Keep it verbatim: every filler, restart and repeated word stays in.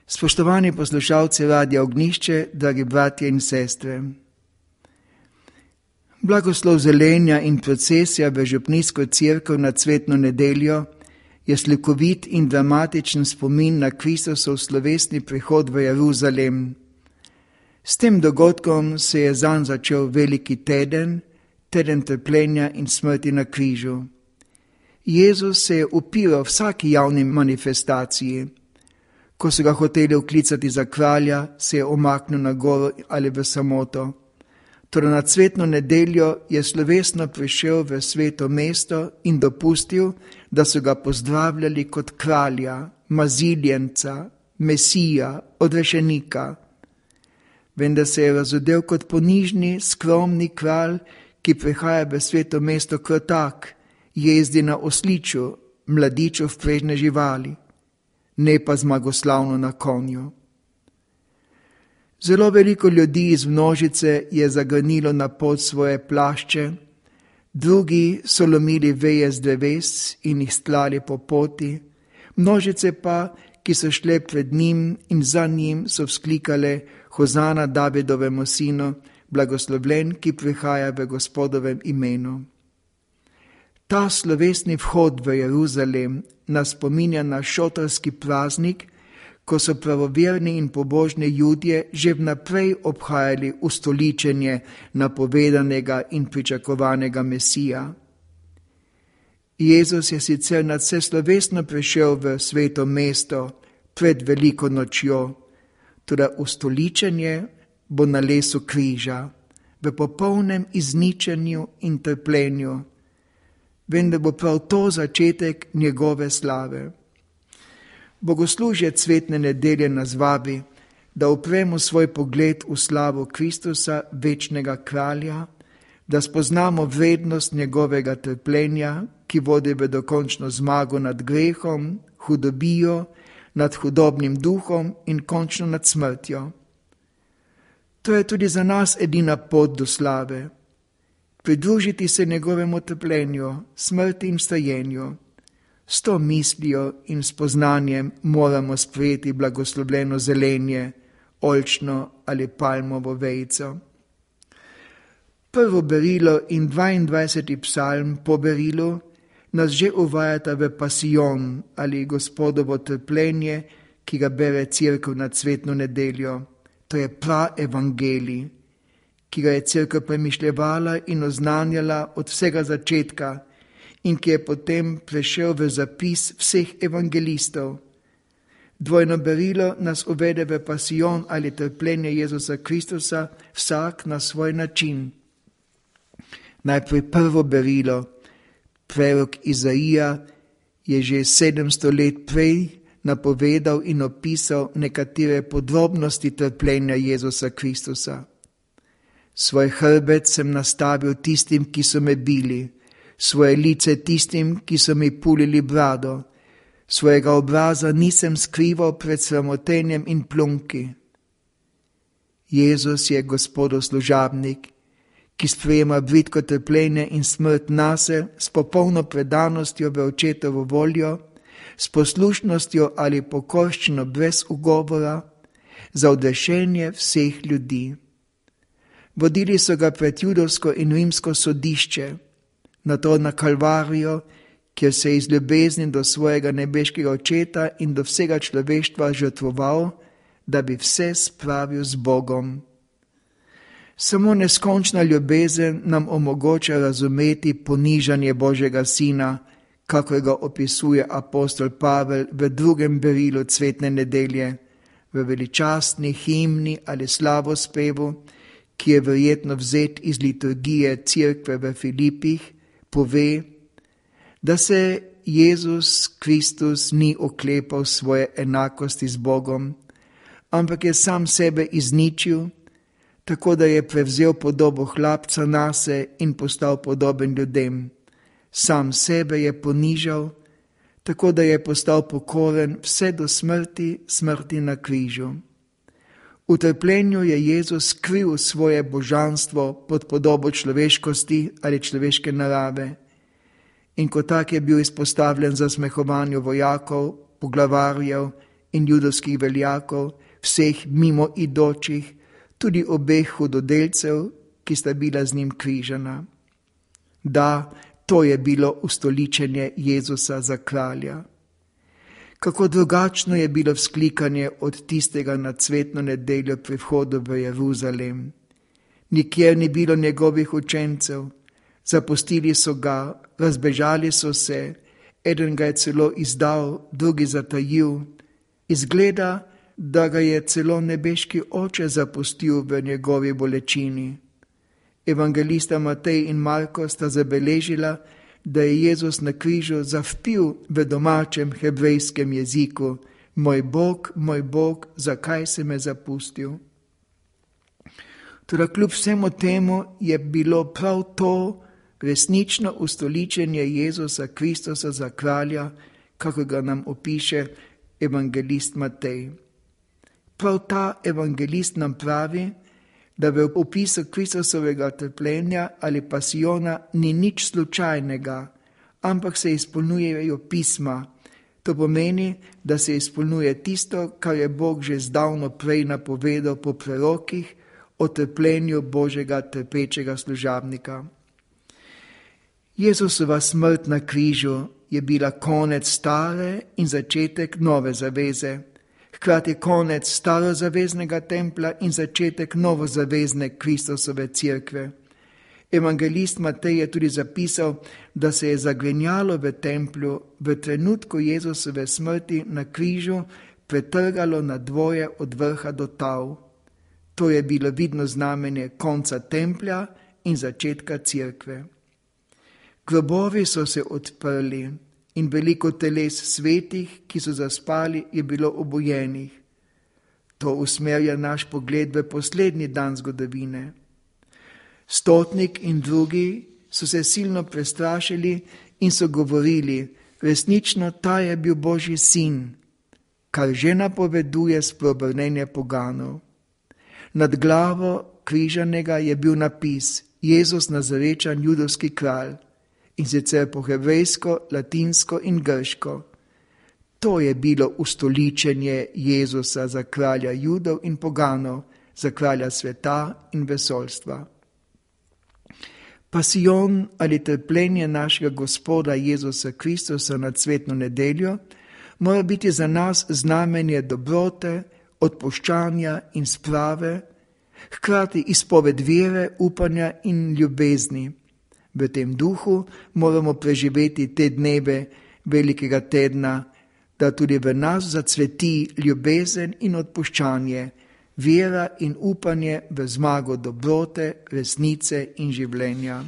Spoštovani poslušalci Radia Ognjišče, dragi bratje in sestre. Blagoslov zelenja in procesija v župnijsko cerkev na cvetno nedeljo je slikovit in dramatičen spomin na Kristusov slovesni prihod v Jeruzalem. S tem dogodkom se je zanj začel veliki teden, teden trpljenja in smrti na križu. Jezus se je upiral vsaki javni manifestaciji. Ko so ga hoteli vklicati za kralja, se je omaknil na goro ali v samoto. Torej na cvetno nedeljo je slovesno prišel v sveto mesto in dopustil, da so ga pozdravljali kot kralja, maziljenca, mesija, odrešenika. Vendar se je razodel kot ponižni, skromni kralj, ki prihaja v sveto mesto krotak, jezdi na osliču, mladiču vprežne živali, ne pa zmagoslavno na konju. Zelo veliko ljudi iz množice je zagrnilo na pot svoje plašče, drugi so lomili veje z dreves in jih stlali po poti, množice pa, ki so šle pred njim in za njim, so vzklikale: Hozana Davidovemu sinu, blagoslovljen, ki prihaja v Gospodovem imenu. Ta slovesni vhod v Jeruzalem nas spominja na šotorski praznik, ko so pravoverni in pobožni Judje že vnaprej obhajali ustoličenje napovedanega in pričakovanega Mesija. Jezus je sicer nadvse slovesno prišel v sveto mesto pred veliko nočjo, toda ustoličenje bo na lesu križa, v popolnem izničenju in trpljenju, vendar bo prav to začetek njegove slave. Bogoslužje cvetne nedelje nas vabi, da upremo svoj pogled v slavo Kristusa, večnega kralja, da spoznamo vrednost njegovega trpljenja, ki vodi v dokončno zmago nad grehom, hudobijo, nad hudobnim duhom in končno nad smrtjo. To je tudi za nas edina pot do slave. Pridružiti se njegovemu trpljenju, smrti in vstajenju. S to mislijo in spoznanjem moramo sprejeti blagoslovljeno zelenje, oljčno ali palmovo vejico. Prvo berilo in dvaindvajseti psalm po berilu nas že uvajata v pasijon ali Gospodovo trpljenje, ki ga bere cerkev na cvetno nedeljo. To je praevangelij, ki ga je cerkev premišljevala in oznanjala od vsega začetka in ki je potem prešel v zapis vseh evangelistov. Dvojno berilo nas uvede v pasijon ali trpljenje Jezusa Kristusa, vsak na svoj način. Najprej prvo berilo. Prorok Izaija je že sedemsto let prej napovedal in opisal nekatere podrobnosti trpljenja Jezusa Kristusa. Svoj hrbet sem nastavil tistim, ki so me bili, svoje lice tistim, ki so mi pulili brado, svojega obraza nisem skrival pred sramotenjem in plunki. Jezus je Gospodov služabnik, ki sprejema bridko trpljenje in smrt nase s popolno predanostjo v očetovo voljo, s poslušnostjo ali pokorščino brez ugovora, za odrešenje vseh ljudi. Vodili so ga pred judovsko in rimsko sodišče, nato na Kalvarijo, kjer se je iz ljubezni do svojega nebeškega očeta in do vsega človeštva žrtvoval, da bi vse spravil z Bogom. Samo neskončna ljubezen nam omogoča razumeti ponižanje Božjega Sina, kakor ga opisuje apostol Pavel v drugem berilu cvetne nedelje, v veličastni himni ali slavospevu, ki je verjetno vzet iz liturgije cerkve v Filipih, pove, da se Jezus Kristus ni oklepal svoje enakosti z Bogom, ampak je sam sebe izničil, tako da je prevzel podobo hlapca nase in postal podoben ljudem. Sam sebe je ponižal, tako da je postal pokoren vse do smrti, smrti na križu. V trpljenju je Jezus skril svoje božanstvo pod podobo človeškosti ali človeške narave in kot tak je bil izpostavljen za smehovanju vojakov, poglavarjev in judovskih veljakov, vseh mimoidočih, tudi obeh hudodelcev, ki sta bila z njim križana. Da, to je bilo ustoličenje Jezusa za kralja. Kako drugačno je bilo vzklikanje od tistega na cvetno nedeljo pri vhodu v Jeruzalem. Nikjer ni bilo njegovih učencev, zapustili so ga, razbežali so se, eden ga je celo izdal, drugi zatajil. Izgleda, da ga je celo nebeški oče zapustil v njegovi bolečini. Evangelista Matej in Marko sta zabeležila, da je Jezus na križu zavpil v domačem hebrejskem jeziku: Moj Bog, moj Bog, zakaj si me zapustil? Toda kljub vsemu temu je bilo prav to resnično ustoličenje Jezusa Kristusa za kralja, kako ga nam opiše evangelist Matej. Prav ta evangelist nam pravi, da v opisu Kristusovega trpljenja ali pasijona ni nič slučajnega, ampak se izpolnjujejo pisma. To pomeni, da se izpolnjuje tisto, kar je Bog že zdavno prej napovedal po prerokih o trpljenju Božjega trpečega služabnika. Jezusova smrt na križu je bila konec stare in začetek nove zaveze, hkrati konec starozaveznega templa in začetek novozavezne Kristusove cerkve. Evangelist Matej je tudi zapisal, da se je zagrenjalo v templju v trenutku Jezusove smrti na križu pretrgalo na dvoje od vrha do tal. To je bilo vidno znamenje konca templja in začetka cerkve. Grobovi so se odprli in veliko teles svetih, ki so zaspali, je bilo obujenih. To usmerja naš pogled v poslednji dan zgodovine. Stotnik in drugi so se silno prestrašili in so govorili: resnično ta je bil Božji sin, kar že napoveduje spreobrnenje poganov. Nad glavo križanega je bil napis: Jezus Nazarečan, judovski kralj, in sicer po hebrejsko, latinsko in grško. To je bilo ustoličenje Jezusa za kralja Judov in poganov, za kralja sveta in vesoljstva. Pasijon ali trpljenje našega Gospoda Jezusa Kristusa na cvetno nedeljo mora biti za nas znamenje dobrote, odpuščanja in sprave, hkrati izpoved vere, upanja in ljubezni. V tem duhu moramo preživeti te dneve velikega tedna, da tudi v nas zacveti ljubezen in odpuščanje, vera in upanje v zmago dobrote, resnice in življenja.